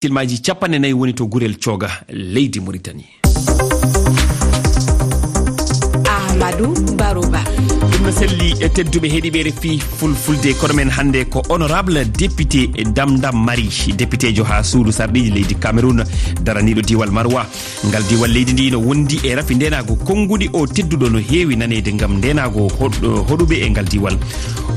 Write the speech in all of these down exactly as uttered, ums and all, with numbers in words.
Silmaji capanɗe nayi woni to Gurel Cooga, leydi Mauritanie. Amadou Barouba. Ɗum no selli, e tedduɓe heɗiiɓe R F I Fulfulde, koɗo men hannde ko honorable député Dam Dam Mari, députéjo haa suudu sarɗiiji leydi Cameroun, daraniiɗo diiwal Marwa. Ngal diiwal leydi ndi no wondi e rafi ndeenaagu konnguɗi. O tedduɗo no heewi naneede ngam ndeenaagu hoɗ-, hoɗuɓe e ngal diiwal.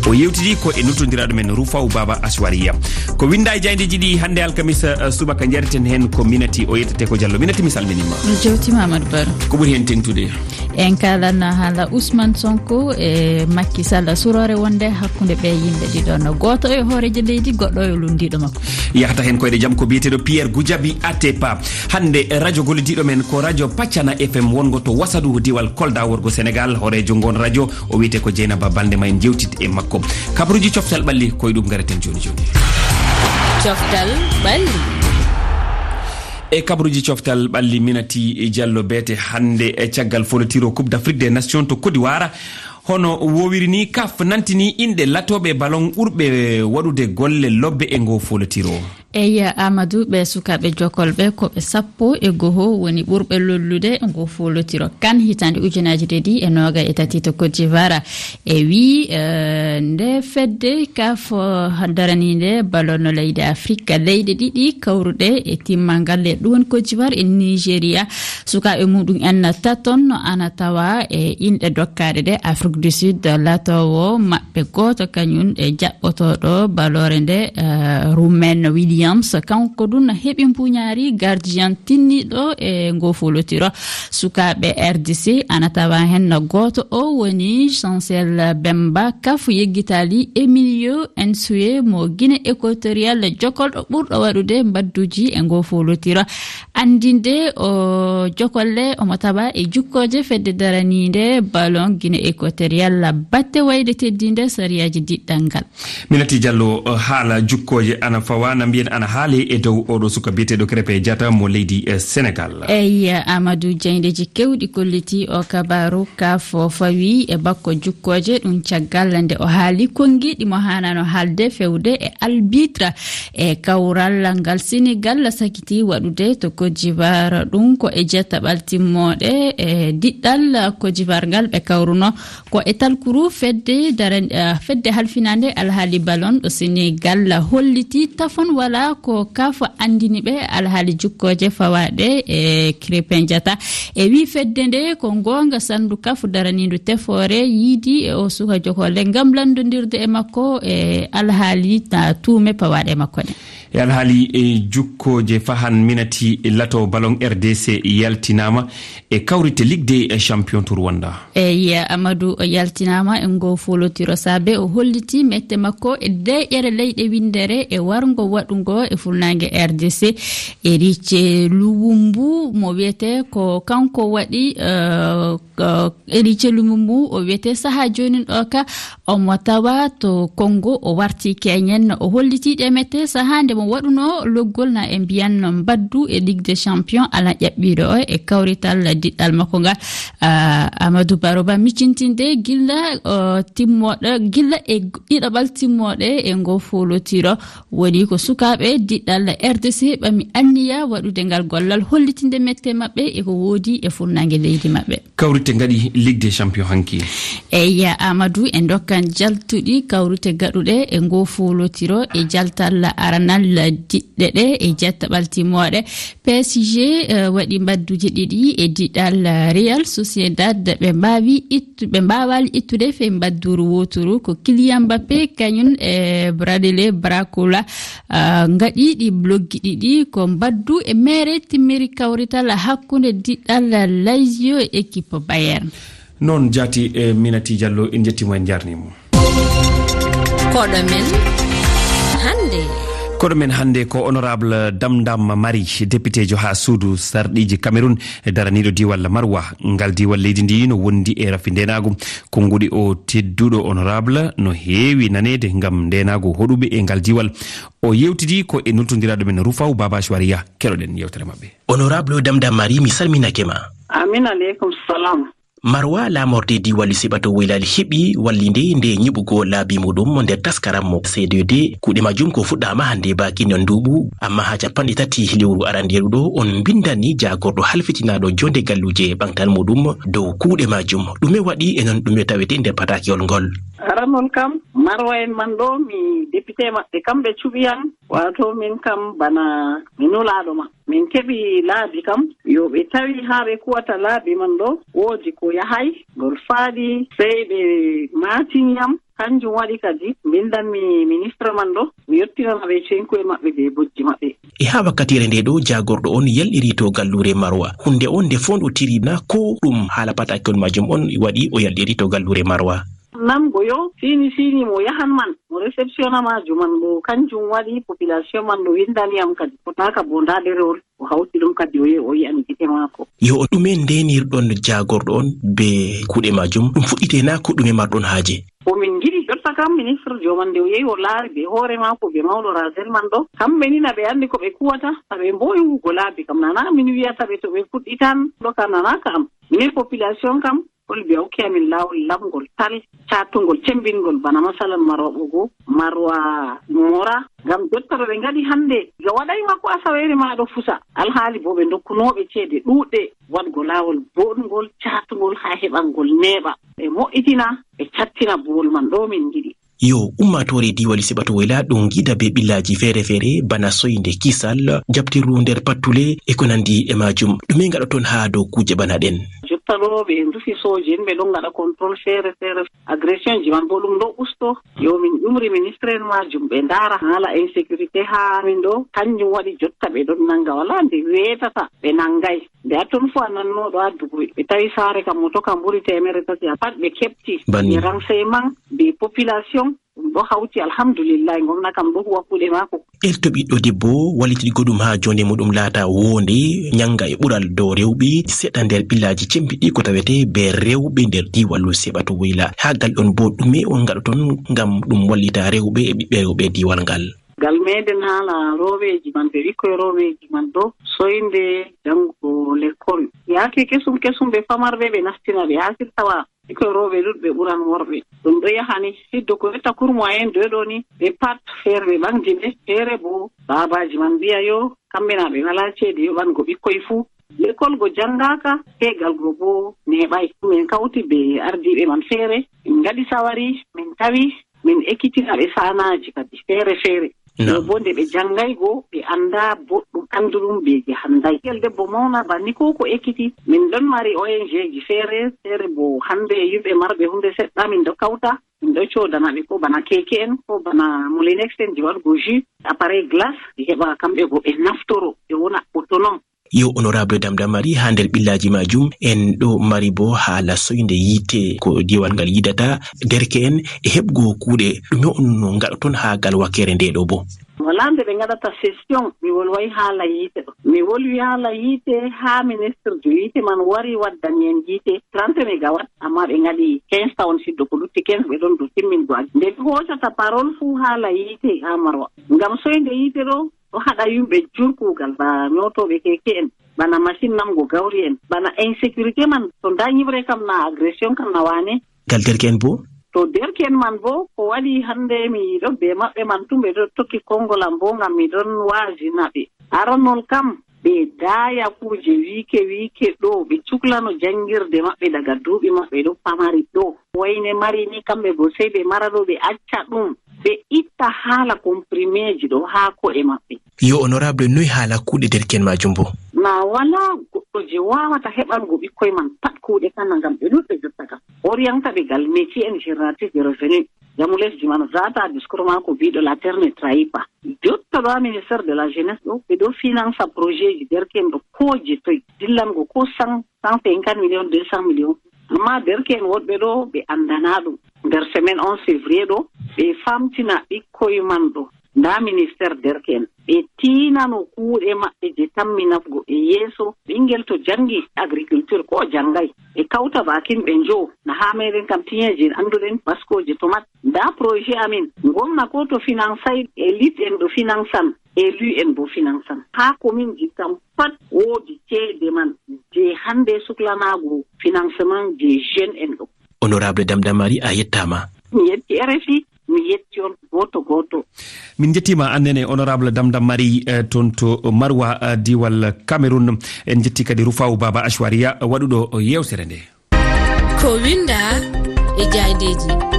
O yewtidi ko e nultondiraaɗo men Rufaw Baba Aswariya. Ko winnda e jaayndeeji ɗi hannde alkamisa, eh, subaka, njareten heen ko Minati, o yettete ko Diallo. Minati, mi salminiima. Mi jewtiima, Amadou Baro. Ko ɓuri heen teŋtude? En kaalan haala Ousmane Sonko e Macky Sall, suroore wonde hakkunde ɓe yimɓe ɗiɗo, no gooto e hooreejo leydi, goɗɗo e lunndiiɗo makko. Yahata heen koyɗe jam ko biyeteeɗo Pierre Goudiaby Atepa. Hannde, radio gollodiiɗo men ko radio Pacana F M wongo to Wasadu, diwal Kolda, worgo Senegal. Hooreejo ngoon radio, o wiyetee ko Dieynaba Balde, ma en jewtit e makko. Kabaruuji coftal ɓalli, ko e ɗum ngareten jooni jooni. Coftal ɓalli. E kabaruuji coftal ɓalli, Minati Diallo, beete hannde e caggal folotiro Coupe d'Afrique des Nations to Côte d'Ivoire. Hono wowiri ni, CAF nantini inɗe latooɓe ballon ɓurɓe waɗude golle lobbe e ngo folotiro. Eyi, Amadou, ɓe sukaaɓe jokolɓe ko ɓe sappo e goho woni ɓurɓe lollude ngo folotiro CAN hitaande ujunaaji ɗiɗi e noogay e tati to Côte d'Ivoire. E wi, eh, nde fedde CAF daraniinde ballon leydi Afrique, leyɗe ɗiɗi kawruɗe e timmal ngal, e ɗum woni Côte d'Ivoire e Nigeria. Sukaaɓe muɗum en taton no ana tawa e inɗe dokkaaɗe ɗe, Afrique du Sud, latoowo maɓɓe gooto kañum e jaɓɓotooɗo ballon nde, eh, Ronwen Williams. Kanko ɗum heɓi mbuñaari gardien tinniiɗo e ngo folotiro. Sukaaɓe R D C ana tawa heen gooto, o woni Chancel Bemba. CAF yeggitaali Emilio Nsue mo Guinée Équatoriale, jokolɗo ɓurɗo waɗude mbadduji e ngo folotiro. Anndinde o jokolle omo tawa e jukkooje fedde daraniinde ballon Guinée Équatoriale, batte wayde teddinde sariyaaji diɗɗal ngal. Minati Diallo, haala jukkooje ana fawa, na mbiyen ana haale e dow oɗo suka biyeteeɗo Krépin Diatta mo leydi, eh, Senegal. Eyi, Amadou, jaayndeeji keewɗi kolliti o kabaru. CAF fawi e bakko jukkooje, ɗum caggal nde o haali konngi ɗi mo haanano haalde fewde e arbitre e kawral ngal Senegal sakiti waɗude to Côte d'Ivoire. Ɗum ko e jettaɓal timmooɗe e diɗɗal Côte d'Ivoire ngal ɓe kawruno. Ko e talkuru fedde daran-, eh, fedde halfinaande alhaali ballon ɗo Senegal holliti tafon wala ko CAF anndini ɓe alhaali jukkooje fawaaɗe e Krépin Diatta. E wi fedde nde ko ngoonga sandu CAF daraniindu tefoore yiidi e o suka jokolle ngam lanndondirde e makko e alhaali ta tuume pawaaɗe e makko ɗe. E alhaali e jukkooje fahan, Minati, lato ballon R D C yaltinaama e kawrite Ligue des Champions to Rwanda. Eyi, Amadou, o yaltinaama e ngo folotiro saabe o holliti mette makko e deeƴere leyɗe winndere e warngo waɗungo e funnaange R D C. Erice Luwumbu mo wiyetee ko kanko waɗi, eh, ko Erice Luwumbu o wiyetee sahaa joonin ɗo ka omo tawa to Congo, o warti Kenyen, o holliti ɗe mette sahaa nde mo waɗuno loggol na e mbiyan mbaddu e Ligue des Champions ala ƴaɓɓiiɗo o e kawrital diɗɗal makko ngal. Ah, Amadou Baroba miccintinde gilla, o, timmoɗo, gilla e ɗiɗaɓal timmoɗe e ngo folotiro woni ko sukaaɓe diɗɗal R D C ɓami anniya waɗude ngal gollal hollitinde mette maɓɓe e ko woodi e funnaange leydi maɓɓe. Kawrite ngaɗi Ligue des Champions hanki. Eyi, Amadou, e ndokkan jaltuɗi kawrite gaɗuɗe e ngo folotiro e jaltal aranal diɗɗe ɗe e jettaɓal timmoɗe. P S G, eh, waɗi mbadduji ɗiɗi e diɗal, eh, Real Sociedad. Ɓe mbaawi ittu-, ɓe mbaawaali ittude fey mbadduru wooturu. Ko Kylian Mbappé kañum e Bradley Barcola, ah, ngaɗi ɗi bloggi ɗiɗi. Ko mbaddu e mere timmiri kawrital hakkunde diɗal Lazio e équipe Bayern. Noon jaati, eh, Minati Diallo, en njettiima, en njaarniima. Koɗo men hannde. Koɗo men hannde ko honorable Dam Dam Mari, députéjo haa suudu sarɗiiji Cameroun, daraniiɗo diiwal Marwa. Ngal diiwal leydi ndi no wondi e rafi ndeenaagu. Konnguɗi o tedduɗo honorable no heewi naneede ngam ndeenaagu hoɗuɓe e ngal diiwal. O yewtidi ko e nultondiraaɗo men Rufaw Baba Shwariya. Keɗoɗen yewtere maɓɓe. Honorable Dam Dam Mari, mi salminake ma. Amin aleykum salam. Marwa, laamorde diiwal Siɓato Woylaali heɓi wallinde nde nyiɓugol laabi muɗum nder taskaram mo C D D. Kuuɗe majjum ko fuɗɗaama hannde bakin nduuɓu, amma haa capanɗe tati lewru arandeeru ɗo, on mbinndani jaagorɗo halfitinaaɗo joonde galluuje ɓantal muɗum dow kuuɗe majjum. Ɗume waɗi e non ɗume tawete nder pataakewol ngol? Aranol kam, Marwa en man ɗo, mi député maɓɓe, kamɓe cuɓi yam. Waato min kam bana mi nulaaɗo ma. Min keɓi laabi kam, yo ɓe tawi haa ɓe kuwata laabi man ɗo, woodi ko yahay, ngol faaɗi, sey ɓe maatini yam. Kanjum waɗi kadi mbindanmi ministre man ɗo, mi yottinana ɓe cenkuye maɓɓe be bojji maɓɓe. E haa wakkatiire nde ɗo, jaagorɗo on yalɗiri to galluure Marwa. Huunde on nde foondotiri na ko ɗum haala pataakewol majjum on waɗi o yalɗiri to galluure Marwa? Namgo yo, siini siini mo yahan man, mo réceptionna ma juman ɗo, kanjum waɗi population man ɗo windani yam kadi, fotaaka bo ndaa ɗerewol, o hawti ɗum kadi o yehi o yi'ani gite maako. Yo, o ɗume ndeenirɗon jaagorɗo on be kuuɗe majjum? Ɗum fuɗɗite na ko ɗume marɗon haaje? Ko min ngiɗi jotta kam, ministre joman nde o yehi o laari be hoore maako be mawɗo Razel man ɗo, kamɓe ni na ɓe anndi ko ɓe kuwata, na ɓe mboowi huwugo laabi kam, nana min wiyata ɓe to ɓe fuɗɗitan ɗo ka nana ka am. Minin population kam, Kolbi a hokki amin laawol laɓngol tal, caatungol, cembingol, bana masalan Marwa Ɓogo, Marwa Mora. Ngam jotta ɗo ɓe ngaɗi hannde, ga waɗay ma ko asaweere ma ɗo fusa. Alhaali bo ɓe ndokkunooɓe ceede ɗuuɗɗe waɗgo laawol booɗngol, caatungol haa heɓangol neeɓa. Ɓe mo'itina, ɓe cattina buwol man ɗo min ngiɗi. Yo, ummaatoore diiwal Siɓato Woyla ɗon ngida be ɓillaaji feere-feere, bana soynde, kisal, jaɓtirru nder pattule, e ko nandi e maajum. Ɗume ngaɗoton haa dow kuuje bana ɗen? Jotta ɗo ɓe ndufi sooje en, ɓe ɗon ngaɗa contrôle feere-feere. Agression ji man bo ɗum ɗo usto. Yo, min ƴumri ministre en maajum, ɓe ndaara haala insécurité haa min ɗo. Kanjum waɗi jotta ɓe ɗon nanga, walaa nde weetata ɓe nangay. Nde a ton fu a nanno ɗo addugo, ɓe tawi saare kam moto kam ɓuri teemeɗɗe tati, a pat ɓe keɓti. Banni. Ɓe renseignement, ɓe population, ɗum ɗo hawti, alhamdulillahi, ngomna kam ɗo huwa kuuɗe maako. Elto ɓiɗɗo debbo, wallititgo ɗum haa joonde muɗum laata woonde, nyannga e ɓural dow rewɓe, seɗɗa nder ɓillaaji cembiɗɗi ko tawete be rewɓe nder diiwal Seɓato Woyla. Haa gal ɗon bo, ɗume on ngaɗoton ngam ɗum wallita rewɓe e ɓiɓɓe rewɓe diiwal ngal? Ngal meɗen haala rooɓeeji man, ɓe ɓikkoy rooɓeeji man ɗo, soynde janngo lekkol. Yaake kesum kesum, ɓe famarɓe, ɓe nastina ɓe haa sirtawa. Ɓikkoy rooɓe ɗuɗɓe ɓuran worɓe. Ɗum ɗo yahani hiddo ko etta kurmo en ɗo ɗo ni, ɓe pat feere ɓe ɓaŋdi ɓe, feere bo baabaaji man mbi'a yo kamɓe na ɓe walaa ceede yoɓango ɓikkoy fuu. Lekkol go janngaaka, teegal go bo neeɓay. Min kawti be ardiiɓe man feere, min ngaɗi sawari, min tawi min ekkitina ɓe saanaaji kadi feere feere. Naam. Ɗo bo nde ɓe janngay go, ɓe anndaa boɗɗum, annduɗum beeje hannday. Ɓiŋngel debbo mawna banni ko ko ekkiti. Min ɗon mari O N G ji feere feere bo hannde, yimɓe marɓe huunde seɗɗa min ɗo kawta. Min ɗo coodana ɓe ko bana keeke en, ko bana moulinex en je waɗugo jus, appareil glace, ɓe heɓa kamɓe go ɓe naftoro, ɓe wona autonome. Yo, honorable Damdamari, haa nder ɓillaaji maajum, en ɗo mari bo haala soynde yiite, ko diiwal ngal yidata, derke'en e heɓgo kuuɗe, ɗume on no ngaɗoton haa gal wakkere nde ɗo bo? Walaa nde ɓe ngaɗata session, mi wolway haala yiite ɗo. Mi wolwi haala yiite haa ministre jo yiite man wari waddani en yiite trente mégawatt, amma ɓe ngaɗi quinze tawon siddo, ko lutti quinze ɓe ɗon dow timmingo aji. Nde mi hoocata parole fuu haala yiite haa Marwa. Ngam soynde yiite ɗo, ɗo haɗa yimɓe jur kuugal, ba nyootooɓe keeke en, bana machine namgo gawri en, bana insécurité man, to ndaa nyiɓre kam na agression kam na waane. Gal derke'en bo? To derke'en man bo, ko waɗi hannde mi ɗo be maɓɓe man tun, ɓe ɗo tokki konngol am bo ngam mi ɗon waazina ɓe. Aranol kam, ɓe daaya kuuje wiike wiike ɗo, ɓe cuklano janngirde maɓɓe daga duuɓi maɓɓe ɗo pamari ɗo. Wayne mari ni, kamɓe go sey ɓe mara ɗo, ɓe acca ɗum, ɓe itta haala komprimeeji ɗo haa ko'e maɓɓe. Yo, honorable, noy haala kuuɗe derke'en maajum bo? Na walaa goɗɗo je waawata heɓango ɓikkoy man pat kuuɗe kana, ngam ɓe ɗuuɗɓe jotta kam. Orientaɓe gal métier en génératrice de revenu. Jamu lesdi man zaata discours maako biiɗo la terre ne trahit pas. Jotta ɗo haa ministère de la jeunesse ɗo, ɓe ɗo finansa projet ji derke'en ɗo ko je toy. Dillango ko cent, cent cinquante millions, deux cents millions. Amma derke'en woɗɓe ɗo, ɓe anndanaa ɗum. Nder semaine onze février ɗo, ɓe famtina ɓikkoy man ɗo. Ndaa ministère derke'en. Ɓe tiinano kuuɗe maɓɓe je tammi nafgo ɓe yeeso. Ɓinngel to janngi agriculture ko janngay, ɓe kawta bakin ɓe njowo. Na haa meɗen kam tiyeeje annduɗen, baskooje, tomat. Ndaa projet amin. Ngomna ko to finansay, élite en ɗo finansan. Élu en bo finansan. Haa kominji kam pat woodi ceede man je hannde suklanaago financement des jeunes en ɗo. Honorable Damdamari, a yettaama. Mi yetti R F I, mi yetti on gooto gooto. Min njettiima annene, honorable Damdamari, eh, toon to Marwa, eh, diwal Cameroun. En njetti kadi Rufawu Baba Ashwariya, waɗuɗo yeewtere nde. Ko winda e jaayndeeji.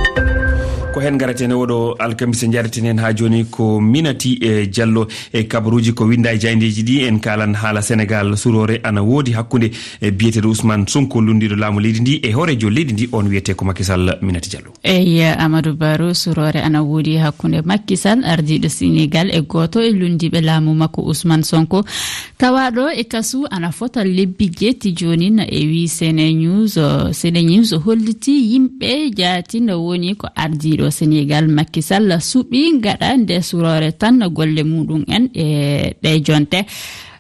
Ko heen ngareten e oɗo alkamisa, njareten heen haa jooni ko Minati, eh, Diallo. E kabaruuji ko winda e jaayndeeji ɗi, en kaalan haala Senegaal. Suroore ana woodi hakkunde, e biyeteeɗo Ousmane Sonko, lunndiiɗo laamu leydi ndi, e hooreejo leydi ndi, on wiyetee ko Macky Sall. Minati Diallo. Eyi, Amadou Barrow, suroore ana woodi hakkunde Macky Sall, ardiiɗo Senegaal, e gooto e lunndiiɓe laamu makko, Ousmane Sonko, tawaaɗo e kasu ana fota lebbi jeetti jooni. Na e wii Sene News, o, Sene News hollitii yimɓe jaati no woni ko ardiiɗo Senegaal Macky Sall suɓii gaɗa nde suroore tan golle muɗum en e ɗe jonte.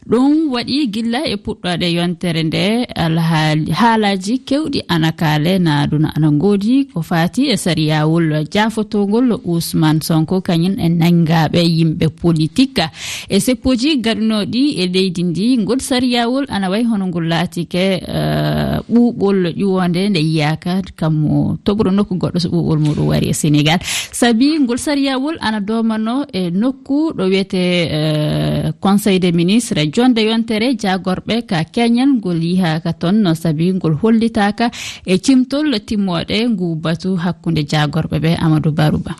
Ɗum waɗi gilla e puɗɗoode yontere nde alhaali, haalaaji kewɗi ana kaale, na ɗum ana ngoodi ko faati e sariyawol jaafotoongol Ousmane Sonko kañum e nanngaaɓe yimɓe politik e seppooji gaɗunooɗi e leydi ndi. Ngol sariyawol ana wayi hono ngol laatike, eh, ɓuuɓol ƴuwoonde nde yiyaaka, kammo toɓro nokku goɗɗo so ɓuuɓol muɗum wari e Senegaal. Sabi ngol sariyawol ana doomano e nokku ɗo wiyetee, eh, Conseil des ministres, jonde yontere jaagorɓe ka keñal ngol yihaaka toon, no sabi ngol hollitaaka e cimtol timmooɗe ngu batu hakkunde jaagorɓe ɓe. Amadou Barouba.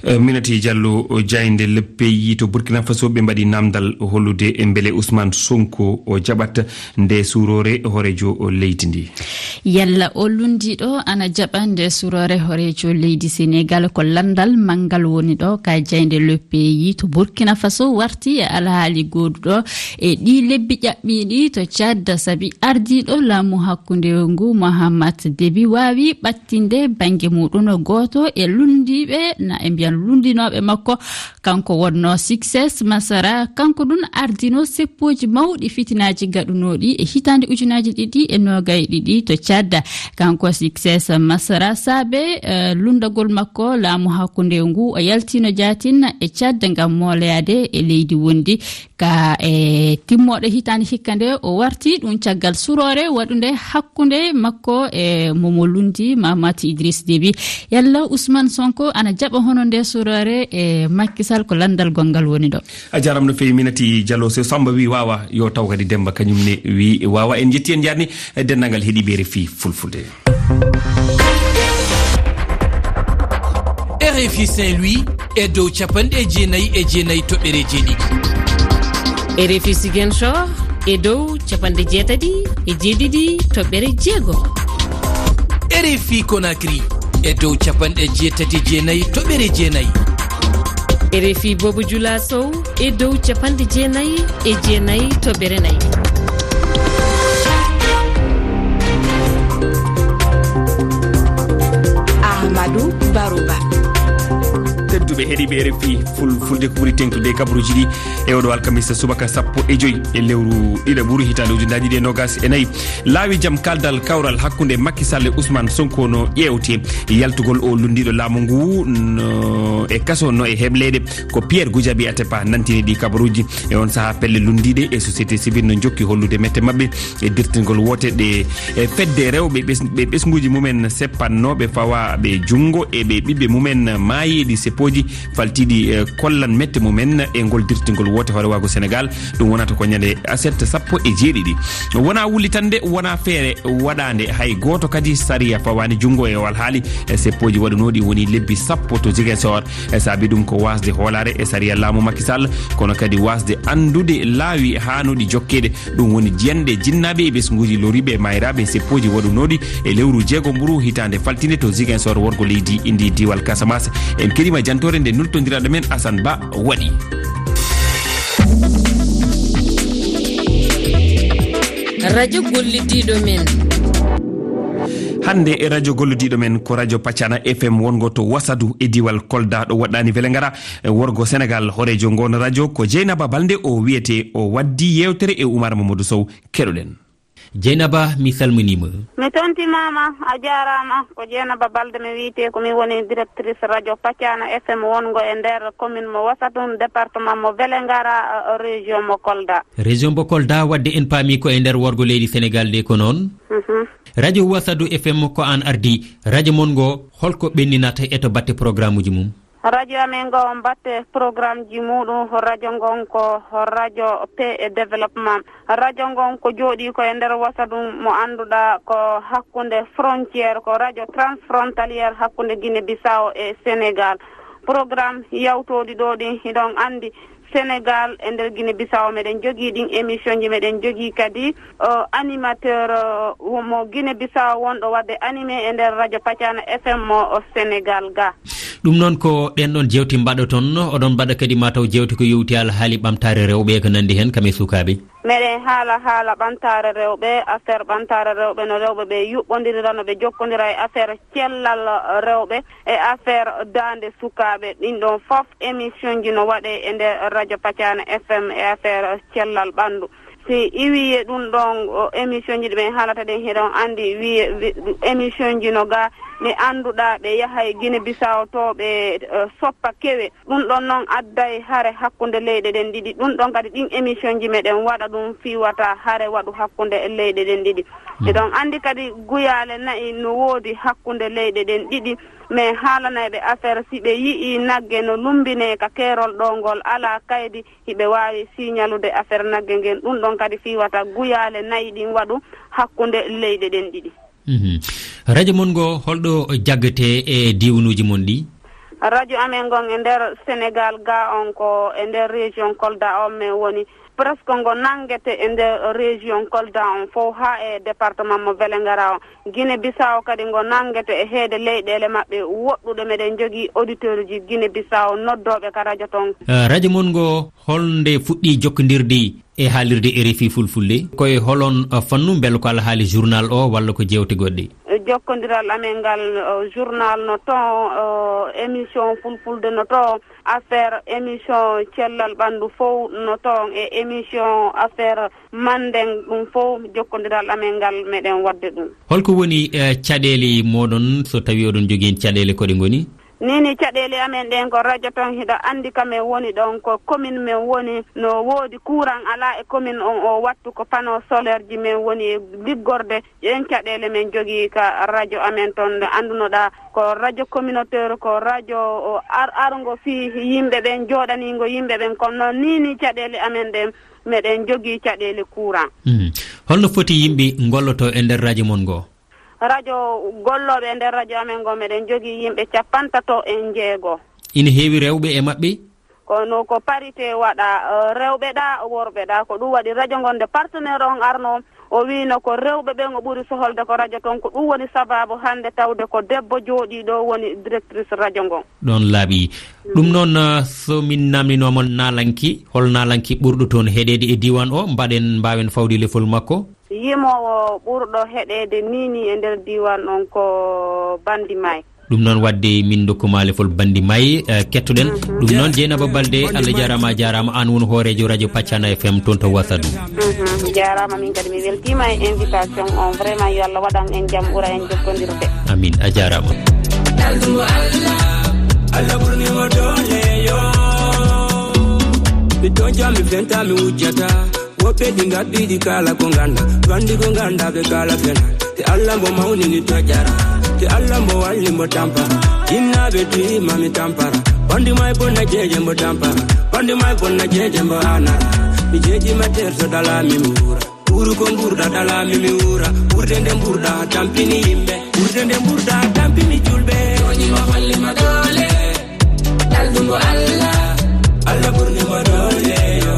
Eh, Minati Diallo, o jaaynde Le Pays to Burkina Faso, ɓe mbaɗi namdal hollude e mbele Ousmane Sonko o jaɓat nde suroore hooreejo leydi ndi. Yalla o lunndiiɗo ana jaɓa nde suroore hooreejo leydi Senegaal? Ko lanndal manngal woni ɗo ka jaaynde Le Pays to Burkina Faso warti e alhaali gooduɗo e ɗi lebbi ƴaɓɓiiɗi to Tchad, sabi ardiiɗo laamu hakkunde ngu Mahamat Déby waawi ɓattinde bannge muɗum gooto e lunndiiɓe, na e mbiyan lunndiinooɓe makko. Kanko wonnoo Succès Masara, kanko ɗum ardino seppooji mawɗi fitinaaji gaɗunooɗi e hitaande ujunaaji ɗiɗi e noogay ɗiɗi to Tchad. Kanko Succès Masara saabe, eh, lunndagol makko laamu hakkunde ngu, o yaltino jaatin e Tchad ngam mooleyaade e leydi wondi. Ka e timmooɗe hitaande hikka nde o warti ɗum caggal suroore waɗunde hakkunde makko e momo lunndi Mahamat Idriss Déby. Yalla Ousmane Sonko ana jaɓa hono nde suroore e Macky Sall? Ko lanndal gonngal woni ɗo. A jaaraama no feewi, Minati Diallo. So Samba wi waawa, yo taw kadi Demba kañum ne wi waawa. En njetti, en njaarni e denndaangal heɗiiɓe R F I Fulfulde. R F I Saint-Louis e dow capanɗe jeenayi e jeenayi toɓɓere jeeɗiɗi. R F I Ziguinchor e dow capanɗe jeetati e jeeɗiɗi toɓɓere jeego. R F I Conakry e dow capanɗe jeetati e jeenayi toɓɓere jeenayi. R F I Bobo Jula Sow e dow capanɗe jeenayi e jeenayi toɓɓere nayi. Ahmadou Barouba. Tedduɓe heɗiiɓe R F I Fulfulde, ko ɓuri teeŋtude e kabaruuji ɗi e oɗo alkamisa subaka sappo e joyi e lewru ɗiɗaɓuru hitaande ujunaaji ɗiɗi e noogas e nayi. Laawi jam kaldal kawral hakkunde Macky Sall e Ousmane Sonko no ƴeewte. Yaltugol o lunndiiɗo laamu ngu no e kaso, no e hebleede. Ko Pierre Goudiaby Atepa nantini ɗi kabaruuji. E on sahaa, pelle lunndiiɗe e société civile no njokki hollude mette maɓɓe e dirtingol woote ɗe, e fedde rewɓe ɓes-, ɓe ɓesnguuji mumen seppannooɓe fawaaɓe junngo e ɓe ɓiɓɓe mumen maayiiɗi seppooji faltiiɗi, eh, kollan mette mumen e ngol dirtingol woote hoorewaagu Senegaal. Ɗum wonata ko ñande aset sappo e jeeɗiɗi. Wonaa wullitannde, wonaa feere waɗaande, hay gooto kadi sariya fawaani junngo e o alhaali. E seppooji waɗunooɗi woni lebbi sappo to Ziguinchor. E saabi ɗum ko waasde hoolaare e sariya laamu Macky Sall, kono kadi waasde anndude laawi haanuɗi jokkeede. Ɗum woni jiyanɗe jinnaaɓe e ɓesnguuji loriiɓe e maayiraaɓe e seppooji waɗunooɗi e lewru jeego mburu hitaande faltinde to Ziguinchor, worgo leydi, indi diiwal Casamance. En keɗiima jantoore nde nultondiraaɗo men Assane Ba waɗi. Radio gollidiiɗo men. Hannde e radio gollidiiɗo men ko radio Pacana F M wongo to Wasadu e diiwal Kolda, ɗo woɗɗaani Velengara, e worgo Senegaal. Hooreejo ngoon radio ko Jeynaba Balde, o wiyetee, o waddii yeewtere e Umar Mamadou Sow. Keɗoɗen. Jeynaba, mi salminiima. Mi tontimaama, a jaaraama. Ko Jeynaba Balde mi wiyetee, ko mi woni directrice radio Pacana F M wongo e nder commune mo Wasatum, département mo Vélingara, eh, région mo Kolda. Région mo Kolda, wadde en paami ko e nder worgo leydi Senegal de, ko noon? Mhm. Radio Wasadu F M ko aan ardii. Radio mon ngo, holko ɓenninata e to batte programuji mum? Radio amen ngo mbatte programmeji muɗum, radio ngon ko radio paix et développement. Radio ngon ko jooɗii ko e nder Wasatum mo annduɗaa ko hakkunde frontière, ko radio transfrontalière hakkunde Guinée Bissau e Sénégal. Programme yawtooɗi ɗo ɗin, hiɗon anndi Sénégal e nder Guinée Bissau meɗen jogii ɗin émission ji, meɗen jogii kadi, o, animateur, o, mo Guinée Bissau wonɗo wadde animé e nder radio Pacana F M mo o Sénégal ga. Ɗum noon ko ɗen ɗon jewte mbaɗoton, oɗon mbaɗa kadi mataw jewte ko yowti alhaali ɓamtaare rewɓe e ko nanndi heen kam e sukaaɓe. Meɗen haala haala ɓamtaare rewɓe, affaire ɓamtaare rewɓe, no rewɓe ɓe yuɓɓondirira, no ɓe jokkondira e affaire cellal rewɓe, e affaire daande sukaaɓe. Ɗin ɗon fof émission ji no waɗe e nder radio Pacana F M e affaire cellal ɓanndu. Si iwi e ɗum ɗon, o, émission ji ɗi ɓen haalata ɗen, hiɗon anndi wi-, wi-, émission ji no ga ɓe annduɗaa, ɓe yaha e Guinée Bissau to ɓe, eh, soppa kewe. Ɗum ɗon noon adday hare hakkunde leyɗe ɗen ɗiɗi. Ɗum ɗon kadi ɗin émission ji meɗen waɗa ɗum fii wata hare waɗu hakkunde leyɗe ɗen ɗiɗi. Mm. Eɗon anndi kadi guyaale nayi no woodi hakkunde leyɗe ɗen ɗiɗi. Mais haalanayɓe affaire, si ɓe yi'ii nagge no lumbinee ka keerol ɗo ngol alaa kaydi, hiɓe waawi siñalude affaire nagge ngen. Ɗum ɗon kadi fii wata guyaale nayi ɗin waɗu hakkunde leyɗe ɗen ɗiɗi. Mhm. Radio mon ngo, holɗo jaggete e diiwanuuji mon ɗi? Radio amen ngon e nder Sénégal ga on ko e nder région Kolda on men woni. Presque ngo nanngete e nder région Kolda on fof haa e département mo Vélingara on. Guinée Bissau kadi ngo nanngete e heede leyɗeele maɓɓe woɗɗuɗe. Meɗen jogii auditeur ji Guinée Bissau noddooɓe ka radio ton. Eh, radio mon ngo, holnde fuɗɗi jokkondirde e haalirde R F I Fulfulde? Ko e holon, eh, fannu, mbela ko alhaali journal o walla ko jeewte goɗɗe? Eh, jokkondiral amen ngal, eh, journal no ton, eh, émission Fulfulde no ton, affaire émission cellal ɓanndu fof no ton, e émission affaire Mandeng ɗum fof jokkondiral amen ngal meɗen waɗde ɗum. Holko woni, eh, caɗeele mooɗon so tawi oɗon jogii heen caɗeele, ko ɗe ngoni? Ni ni caɗeele amen ɗen ko radio ton hiɗa anndi ka men woni ɗon ko commune men woni no woodi courant alaa e commune on o wattu ko panneau solaire ji men woni e liggorde ɗen caɗeele men jogii ka radio amen ton nde anndunoɗaa ko radio communautaire ko radio o ar arngo fii yimɓe ɓen jooɗaniingo yimɓe ɓen kono noon ni ni caɗeele amen ɗen meɗen jogii caɗeele courant. Mhm. Holno foti yimɓe ngolloto e nder radio mon ngo? Radio gollooɓe e nder radio amen ngo, meɗen jogii yimɓe cappantato e njeego. Ina heewi rewɓe e maɓɓe? Kono ko parité waɗa, eh, rewɓe ɗa, worɓe ɗa. Ko ɗum waɗi radio ngon nde partenaire on arno, o wiino ko rewɓe ɓen o ɓuri soholde ko radio ton. Ko ɗum woni sababu hannde tawde ko debbo jooɗii ɗo woni directrice radio ngon. Ɗon laaɓi. Ɗum noon, eh, so min namninooma naalanki, hol naalanki ɓurɗo toon heɗeede e diiwaan o, mbaɗen, mbaawen fawde lefol makko? Yimoowo ɓurɗo heɗeede ni ni e nder diiwaan on ko Bandi May. Ɗum noon waɗde min ndokkuma lefol Bandi May, eh, kettoɗen. Mhm. Ɗum noon Jeynaba Balde, Allah jaaraama, a jaaraama, aan woni hooreejo radio Pacana F M toon to Wasadu. Mhm. Jaaraama, min kadi mi weltiima e invitation on. Vraiment yo Allah waɗan en jam, ɓura en jokkondirde. Amin, a jaaraama. Ɗaldumo Allah, Allah ɓurni mo doole yo. Mi toñca, mi fenta, mi wujjata. Woɓɓe ɗi ngabbiɗi kala ko ngannda, gonɗi ko ngannda ɓe kala fena. Te Allah mbo mawnini tojjara, te Allah mbo walli mbo tampara. Jinnaaɓe tiima mi tampara, Bandi May bonna jeeje mbo tampara. Bandi May bonna jeeje mbo anara. Mi jeeji ma terso dala mi muura. Ɓuru ko mburɗa dala mi mi wuura. Ɓurde nde mburɗa tampini yimɓe. Ɓurde nde mburɗa tampini julɓe. Jooni ma holli ma doole. Ɗaldumo Allah, Allah ɓurni mo doole yo.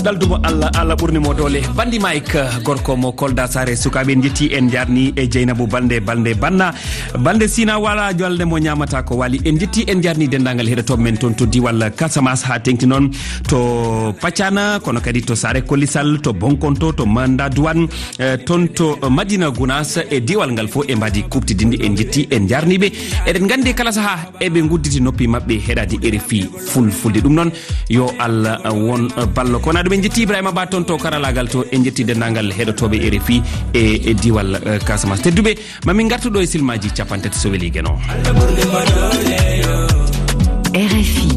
Ɗaldumo Allah, Allah ɓurni mo doole. Bandi Mike, gorko mo Kolda Saare Sukaaɓe, en njetti, en njarni e Jeynaba Balde, Balde Banna. Balde Sina wala jolde mo ñaamata ko wali. En njetti, en njarni denndaangal heɗotooɓe men toon to diwal Casamance, haa teŋti noon to Pacana, kono kadi to Saare Kollisal, to Bonkonto, to Manda Duwan, eh, toon to Madina Gunaas e diwal ngal fof e mbaadi kuuɓtidinɗi. En njetti, en njarni ɓe. Eɗen nganndi kala sahaa eɓe ngudditi noppi maɓɓe heɗaade R F I Fulfulde. Ɗum noon, yo Allah won ballo. Ko wonaa ɗum En njetti Ibrahima Ba toon to karalaagal to, en njetti denndaangal heɗotooɓe R F I e, e diwal, eh, Casamance. Tedduɓe, ma min ngartu ɗo e silmaaji capanɗe tati so weli Geno. R F I.